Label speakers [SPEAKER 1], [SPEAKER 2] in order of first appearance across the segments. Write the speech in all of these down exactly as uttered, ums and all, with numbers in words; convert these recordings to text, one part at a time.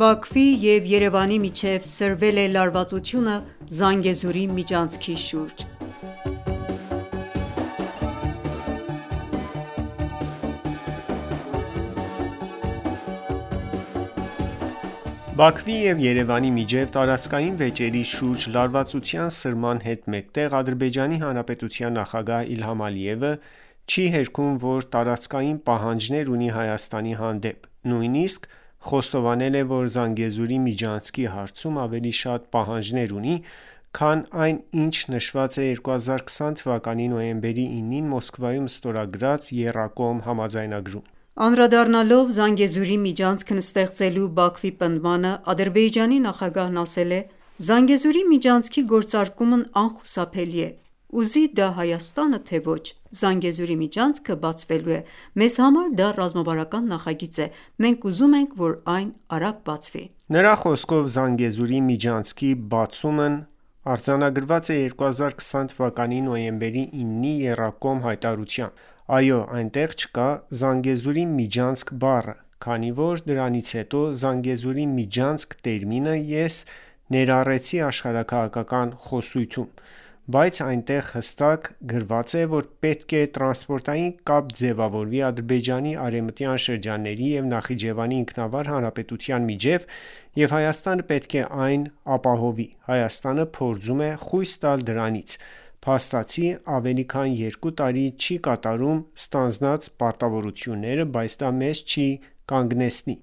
[SPEAKER 1] Բաքվի և Երևանի միջև սրվել է լարվածությունը Զանգեզուրի միջանցքի շուրջ։
[SPEAKER 2] Բաքվի և Երևանի միջև տարածքային վեճերի շուրջ լարվածության սրման հետ մեկտեղ Ադրբեջանի Հանրապետության նախագահ Իլհամ Ալիևը չի հերքում, որ տարածքային պահանջներ ունի Հայաստանի հանդեպ, նույնիսկ խոստովանել է, որ Զանգեզուրի միջանցքի հարցում ավելի շատ պահանջներ ունի, քան այն, ինչ նշված է երկու հազար քսան թվականի նոյեմբերի ինին Մոսկվայում ստորագրած եռակողմ համաձայնագրում:
[SPEAKER 1] Անդրադառնալով Զանգեզուրի միջանցքն ստեղծելու Բաքվի պնդմանը, Ադրբեջանի նախագահն ասել է. «Զանգեզուրի միջանցքի գործարկումն անխուսափելի է: Ուզի դա Հայաստանը, թե ոչ, Զանգեզուրի միջանցքը բացվելու է: Մեզ համար դա ռազմավարական նախագիծ է: Մենք ուզում ենք, որ այն արագ բացվի»:
[SPEAKER 2] Նրա խոսքով Զանգեզուրի միջանցքի բացումն արձանագրված է երկու հազար քսան թվականի նոյեմբերի իննի եռակողմ հայտարարությամբ: Այո, այնտեղ չկա Զանգեզուրի միջանցք բառը, քանի որ դրանից հետո Զանգեզուրի միջանցք տերմինը ես ներառեցի աշխարհաքաղաքական խոսույթում, բայց այնտեղ հստակ գրված է, որ պետք է տրանսպորտային կապ ձևավորվի Ադրբեջանի արևմտյան շրջանների և Նախիջևանի ինքնավար հանրապետության միջև և Հայաստանը պետք է այն ապահովի: Հայաստանը փորձում է խույս տալ դրանից, փաստացի ավելի քան երկու տարի չի կատարում ստանձնած պարտավորությունները, բայց դա մեզ չի կանգնեցնի: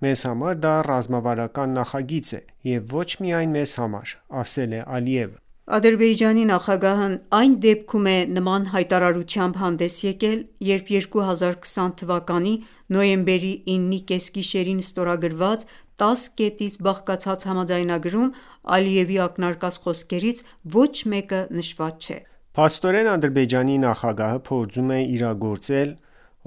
[SPEAKER 2] Մեզ համար դա ռազմավարական նախագիծ է և ոչ միայն մեզ համար, ասել է Ալիևը:
[SPEAKER 1] Ադրբեջանի նախագահն այն դեպքում է նման հայտարարությամբ հանդես եկել, երբ երկու հազար քսան թվականի նոյեմբերի իննի կեսգիշերին ստորագրված տաս կետից բաղկացած համաձայնագրում Ալիևի ակնարկած խոսքերից ոչ մեկը նշված չէ:
[SPEAKER 2] Փաստորեն Ադրբեջանի նախագահը փորձում է իրագործել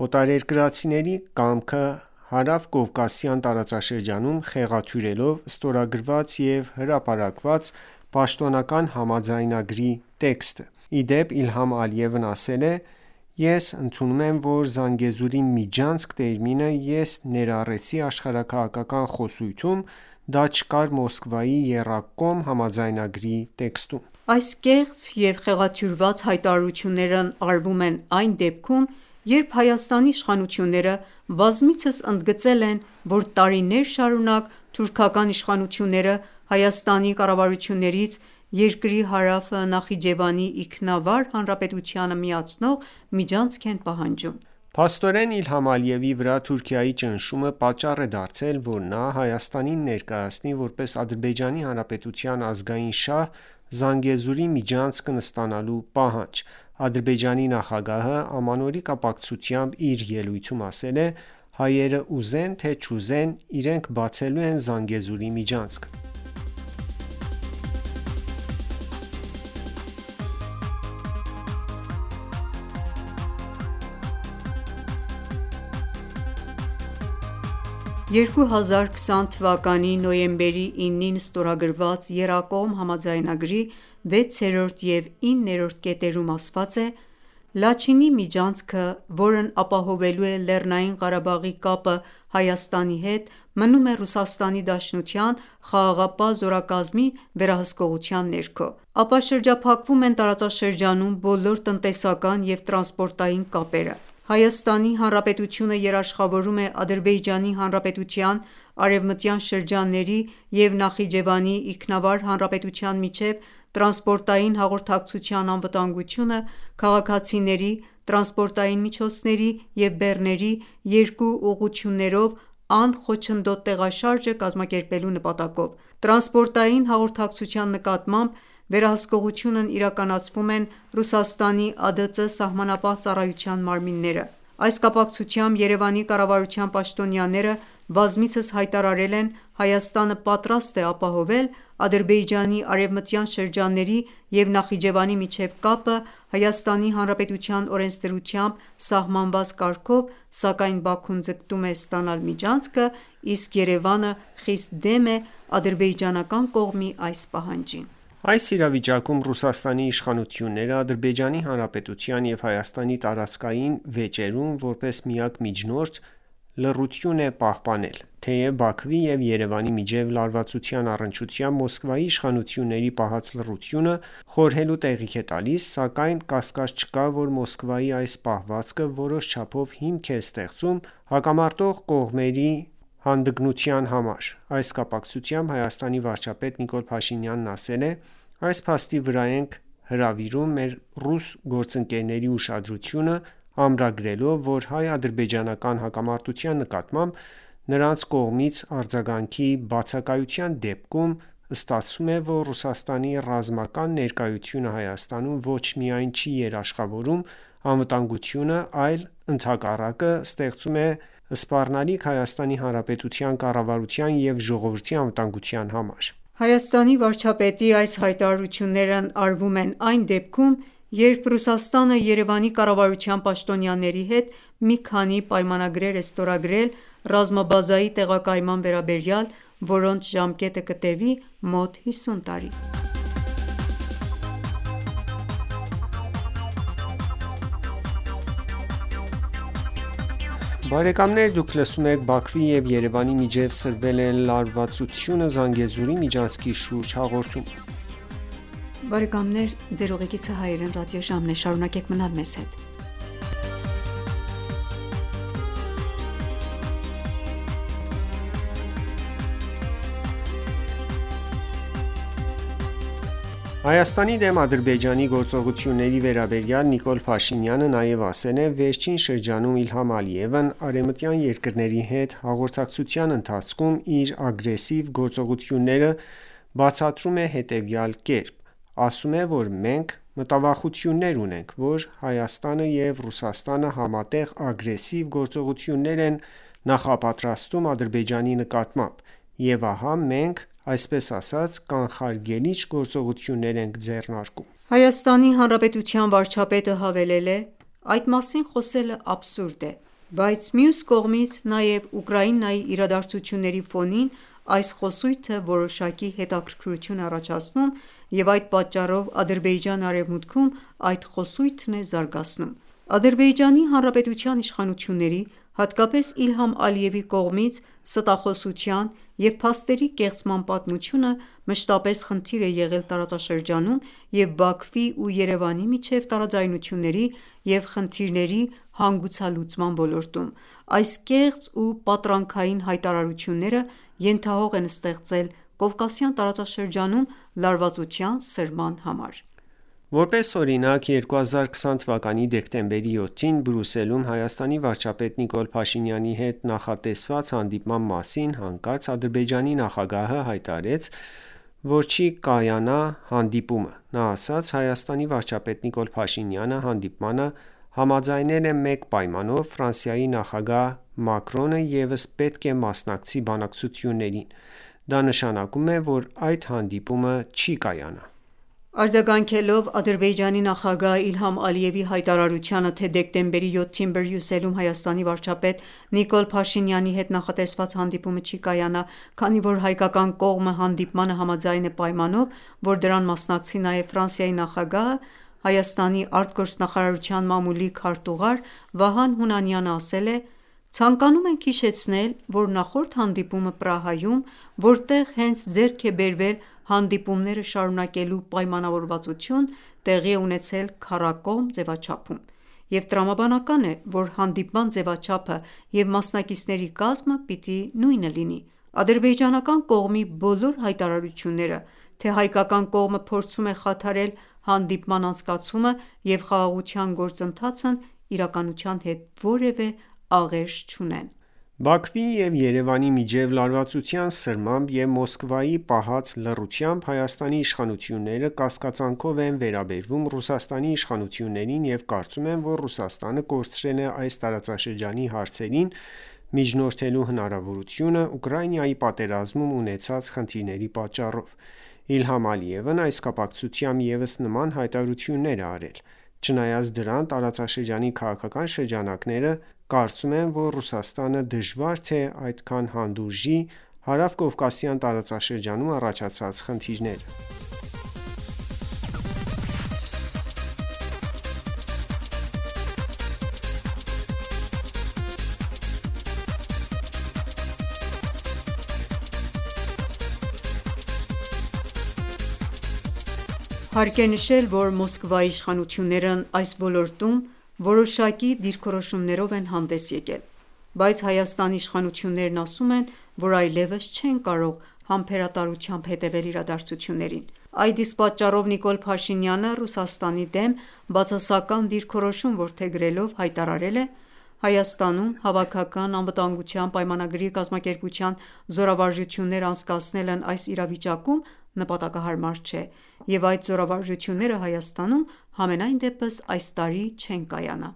[SPEAKER 2] օտարերկրացիների կամքը Հարավկովկասյան տարածաշրջանում խեղաթյուրելով ստորագրված և հրապարակված պաշտոնական համաձայնագրի տեքստը: Ի դեպ Իլհամ Ալիևն ասել է. «Ես ընդունում եմ, որ Զանգեզուրի միջանցք տերմինը ես ներառեցի աշխարհաքաղաքական խոսույթում, դա չկար Մոսկվայի եռակողմ համաձայնագրի տեքստում»:
[SPEAKER 1] Այս կեղծ և խեղաթյուրված հայտարարություններն արվում են այն դեպքում, երբ Հայաստանի իշխանությունները բազմիցս ընդգծել են, որ տարիներ շարունակ թուրքական իշխանությունները Հայաստանի կառավարություններից երկրի հարավը Նախիջևանի ինքնավար հանրապետությանը միացնող միջանցք են պահանջում:
[SPEAKER 2] Փաստորեն Իլհամ Ալիևի վրա Թուրքիայի ճնշումը պատճառ է դարձել, որ նա Հայաստանին ներկայացնի որպես Ադրբեջանի Հանրապետության ազգային շահ Զանգեզուրի միջանցքն ստանալու պահանջ: Ադրբեջանի նախագահը ամանորի կապակցությամբ իր ելույթում ասել է. «Հայերը ուզեն թե չուզեն, իրենք բացելու են Զանգեզուրի միջանցքը»:
[SPEAKER 1] երկու հազար քսան թվականի նոյեմբերի իննին ստորագրված եռակողմ համաձայնագրի վեցերորդ և իններորդ կետերում ասված է. «Լաչինի միջանցքը, որն ապահովելու է Լեռնային Ղարաբաղի կապը Հայաստանի հետ, մնում է Ռուսաստանի Դաշնության խաղաղապահ զորակազմի վերահսկողության ներքո: Ապա շրջափակվում են տարածաշրջանում բոլոր տնտեսական և տրանսպորտային կապերը: Հայաստանի Հանրապետությունը երաշխավորում է Ադրբեջանի Հանրապետության արևմտյան շրջանների և Նախիջևանի ինքնավար հանրապետության միջև տրանսպորտային հաղորդակցության անվտանգությունը քաղաքացիների, տրանսպորտային միջոցների և բեռների երկու ուղղություններով անխոչնդոտ տեղաշարժը կազմակերպելու նպատակով: Տրանսպորտային հաղորդակցության նկատմամբ վերահսկողությունն իրականացվում են Ռուսաստանի ԱԴԾ սահմանապահ ծառայության մարմինները: Այս կապակցությամբ Երևանի կառավարության պաշտոնյաները բազմիցս հայտարարել են Հայաստանը պատրաստ է ապահովել Ադրբեջանի արևմտյան շրջանների և Նախիջևանի միջև կապը Հայաստանի Հանրապետության օրենսդրությամբ սահմանված կարգով, սակայն Բաքուն ձգտում է ստանալ միջանցքը, իսկ Երևանը խիստ դեմ է ադրբեջանական կողմի այս պահանջին:
[SPEAKER 2] Այս իրավիճակում Ռուսաստանի իշխանությունները Ադրբեջանի Հանրապետության և Հայաստանի տարածքային վեճերում որպես միակ միջնորդ լռություն է պահպանել։ Թեև Բաքվի և Երևանի միջև լարվածության առնչությամբ Մոսկվայի իշխանությունների պահած լռությունը խորհելու տեղիք է տալիս, սակայն կասկած չկա, որ Մոսկվայի այս պահվածքը որոշ չափով հիմք է ստեղծում հակամարտող կողմերի հանդգնության համար։ Այս կապակցությամբ Հայաստանի վարչապետ Նիկոլ Փաշինյանն ասել է. «Այս փաստի վրա ենք հրավիրում մեր ռուս գործընկերների ուշադրությունը, ամրագրելով, որ հայ-ադրբեջանական հակամարտության նկատմամբ նրանց կողմից արձագանքի բացակայության դեպքում ստացվում է, որ Ռուսաստանի ռազմական ներկայությունը Հայաստանում ոչ միայն չի երաշխավորում անվտանգությունը, այլ ընդհակառակը ստեղծում է սպառնալիք Հայաստանի Հանրապետության կառավարության և ժողովրդի անվտանգության համար»։
[SPEAKER 1] Հայաստանի վարչապետի այս հայտարարություններն արվում են այն դեպքում, երբ Ռուսաստանը Երևանի կառավարության պաշտոնյաների հետ մի քանի պայմանագրեր է ստորագրել ռազմաբազայի տեղակայման վերաբերյալ, որոնց ժամկետը կտևի մոտ հիսուն տարի։
[SPEAKER 2] Բարեկամներ դուք լսում եք Բաքվի և Երևանի միջև սրվել է լարվածությունը Զանգեզուրի միջանցքի շուրջ հաղորդումը։
[SPEAKER 1] Շարունակենք մնալ մեզ հետ։
[SPEAKER 2] Հայաստանի դեմ Ադրբեջանի գործողությունների վերաբերյալ Նիկոլ Փաշինյանը նաև ասել է. «Վերջին շրջանում Իլհամ Ալիևն արևմտյան երկրների հետ հաղորդակցության ընթացքում իր ագրեսիվ գործողությունները բացատրում է հետևյալ կերպ. ասում է, որ մենք մտավախություններ ունենք, որ Հայաստանը և Ռուսաստանը համատեղ ագրեսիվ գործողություններ են նախապատրաստում Ադրբեջանի նկատմամբ, և ահա մենք, այսպես ասած, կանխարգելիչ գործողություններ ենք ձեռնարկում»։
[SPEAKER 1] Հայաստանի Հանրապետության վարչապետը հավելել է. «Այդ մասին խոսելը աբսուրդ է, բայց մյուս կողմից նաև Ուկրաինայի իրադարձությունների ֆոնին այս խոսույթը որոշակի հետաքրքրություն է առաջացնում և այդ պատճառով Ադրբեջանը Արևմուտքում այդ խոսույթն է զարգացնում»։ Ադրբեջանի Հանրապետության իշխանությունների, հատկապես Իլհամ Ալիևի կողմից ստախոսության և փաստերի կեղծման պատմությունը մշտապես խնդիր է եղել տարածաշրջանում և Բաքվի ու Երևանի միջև տարաձայնությունների և խնդիրների հանգուցալուծման ոլորտում։ Այս կեղծ ու պատրանքային հայտարարությունները ենթահող են ստեղծել Կովկասյան տարածաշրջանում լարվածության սրման համար։
[SPEAKER 2] Որպես օրինակ, երկու հազար քսան թվականի դեկտեմբերի յոթին Բրյուսելում Հայաստանի վարչապետ Նիկոլ Փաշինյանի հետ նախատեսված հանդիպման մասին հանկարծ Ադրբեջանի նախագահը հայտարարեց, որ չի կայանա հանդիպումը։ Նա ասաց. «Հայաստանի վարչապետ Նիկոլ Փաշինյանը հանդիպմանը համաձայնել է մեկ պայմանով. Ֆրանսիայի նախագահ Մակրոնը ևս պետք է մասնակցի բանակցություններին։ Դա նշանակում է, որ այդ հանդիպումը չի կայանա»։
[SPEAKER 1] Արձագանքելով Ադրբեջանի նախագահ Իլհամ Ալիևի հայտարարությանը, թե դեկտեմբերի յոթին Բրյուսելում Հայաստանի վարչապետ Նիկոլ Փաշինյանի հետ նախատեսված հանդիպումը չի կայանա, քանի որ հայկական կողմը հանդիպմանը համաձայն է պայմանով, որ դրան մասնակցի նաև Ֆրանսիայի նախագահը, Հայաստանի արտգործնախարարության մամուլի քարտուղար Վահան Հունանյանը ասել է. «Ցանկանում ենք հիշեցնել, որ նախորդ հանդիպումը Պրահայում, որտեղ հենց ձեռք է բերվել հանդիպումները շարունակելու պայմանավորվածություն, տեղի է ունեցել քառակողմ ձևաչափում, և տրամաբանական է, որ հանդիպման ձևաչափը և մասնակիցների կազմը պիտի նույնը լինի։ Ադրբեջանական կողմի բոլոր հայտարարությունները, թե հայկական կողմը փորձում է խաթարել հանդիպման անցկացումը և խաղաղության գործընթացն իրականության հետ որևէ աղերս չունեն»։
[SPEAKER 2] Բաքվի և Երևանի միջև լարվածության սրմամբ և Մոսկվայի պահած լռությամբ Հայաստանի իշխանությունները կասկածանքով են վերաբերվում Ռուսաստանի իշխանություններին և կարծում են, որ Ռուսաստանը կորցրել է այս տարածաշրջանի հարցերին միջնորդելու հնարավորությունը Ուկրաինայի պատերազմում ունեցած խնդիրների պատճառով։ Իլհամ Ալիևն այս կապակցությամբ ևս նման հայտարարություններ է արել։ Չնայած դրան, տարածաշրջանի քաղաքական շրջանակները կարծում են, որ Ռուսաստանը դժվար թե այդքան հանդուրժի հարավկովկասյան տարածաշրջանում առաջացած խնդիրները։
[SPEAKER 1] Հարկ է նշել, որ Մոսկվայի իշխանություններն այս ոլորտում որոշակի դիրքորոշումներով են հանդես եկել, բայց Հայաստանի իշխանություններն ասում են, որ այլևս չեն կարող համբերատարությամբ հետևել իրադարձություններին: Այդ իսկ պատճառով Նիկոլ Փաշինյանը Ռուսաստանի դեմ բացասական դիրքորոշում որդեգրելով հայտարարել է. «Հայաստանում Հավաքական անվտանգության պայմանագրի կազմակերպության զորավարժություններ անցկացնելն այս իրավիճակում նպատակահարմար չէ, և այդ զորավարժությունները Հայաստանում համենայն դեպս այս տարի չեն կայանա»: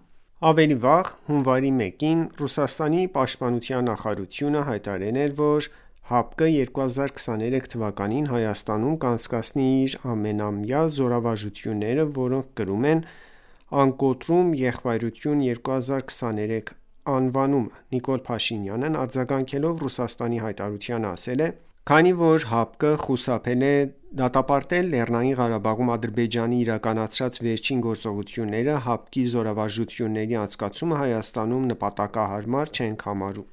[SPEAKER 2] Ավելի վաղ, հունվարի մեկին, Ռուսաստանի պաշտպանության նախարարությունը հայտարարել էր, որ ՀԱՊԿ-ը երկու հազար քսաներեք թվականին Հայաստանում կանցկացնի իր ամենամյա զորավարժությունները, որոնք կրում են «Անկոտրում եղբայրություն երկու հազար քսաներեք» անվանումը: Նիկոլ Փաշինյանն արձագանքելով Ռուսաստանի հայտարարությանը ասել է. «Քանի որ ՀԱՊԿ-ը խուսափել է դատապարտել Լեռնային Ղարաբաղում Ադրբեջանի իրականացրած վերջին գործողությունները, ՀԱՊԿ-ի զորավարժությունների անցկացումը Հայաստանում նպատակահարմար չենք համարում»: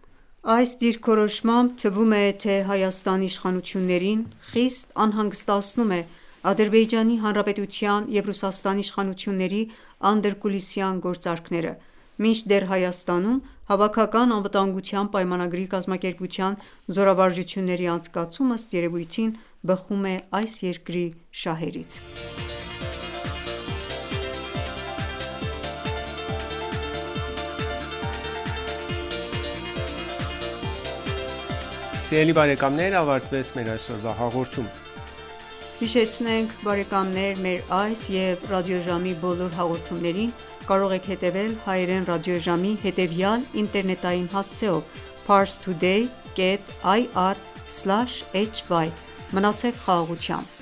[SPEAKER 1] Այս դիրքորոշմամբ թվում է, թե Հայաստանի իշխանություններին խիստ անհանգստացնում է Ադրբեջանի Հանրապետության և Ռուսաստանի իշխանությունների անդրկուլիսյան գործարքները, մինչդեռ Հայաստանում Հավաքական անվտանգության պայմանագրի կազմակերպության զորավարժությունների անցկացումը ըստ երևույթին բխում է այս երկրի շահերից:
[SPEAKER 2] Ավարտվեց մեր այսօրվա հաղորդումը:
[SPEAKER 1] Մեր այս և ռադիոժամի բոլոր հաղորդումներին կարող եք հետևել հայերեն ռադիոժամի հետևյալ ինտերնետային հասցեով՝ parstoday.ir/hy: Մնացեք խաղաղությամբ: